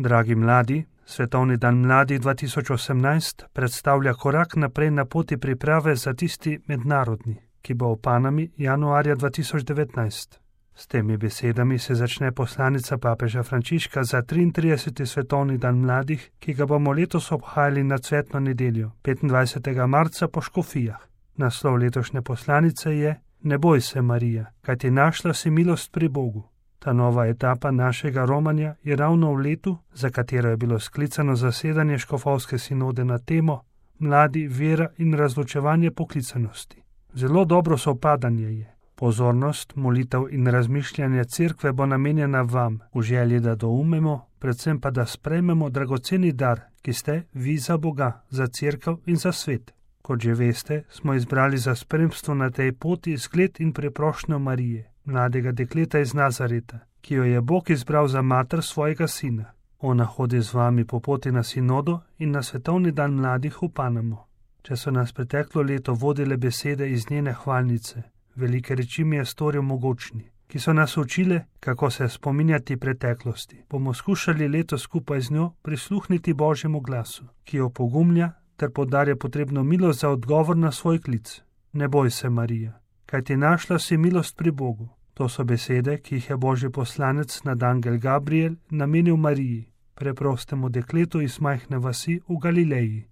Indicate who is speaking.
Speaker 1: Dragi mladi, Svetovni dan mladih 2018 predstavlja korak naprej na poti priprave za tisti mednarodni, ki bo v Panami januarja 2019. S temi besedami se začne poslanica papeža Frančiška za 33. Svetovni dan mladih, ki ga bomo letos obhajali na cvetno nedeljo, 25. marca po Škofijah. Naslov letošnje poslanice je Ne boj se, Marija, kajti našla si milost pri Bogu. Ta nova etapa našega romanja je ravno v letu, za katero je bilo sklicano zasedanje škofovske sinode na temo Mladi, vera in razločevanje poklicanosti. Zelo dobro sovpadanje je. Pozornost, molitev in razmišljanje cerkve bo namenjena vam, v želji, da doumemo, predvsem pa da sprejmemo dragoceni dar, ki ste vi za Boga, za cerkev in za svet. Kot že veste, smo izbrali za spremstvo na tej poti zgled in preprošnjo Marije, mladega dekleta iz Nazareta, ki jo je Bog izbral za mater svojega sina. Ona hodi z vami po poti na sinodo in na Svetovni dan mladih v Panamo. Če so nas preteklo leto vodile besede iz njene hvalnice, velike reči mi je storil mogočni, ki so nas učile, kako se spominjati preteklosti, bomo skušali leto skupaj z njo prisluhniti Božjemu glasu, ki jo pogumlja ter podarja potrebno milost za odgovor na svoj klic. Ne boj se, Marija, kajti našla si milost pri Bogu. To so besede, ki jih je Božji poslanec nadangel Gabriel namenil Mariji, preprostemu dekletu iz majhne vasi v Galileji.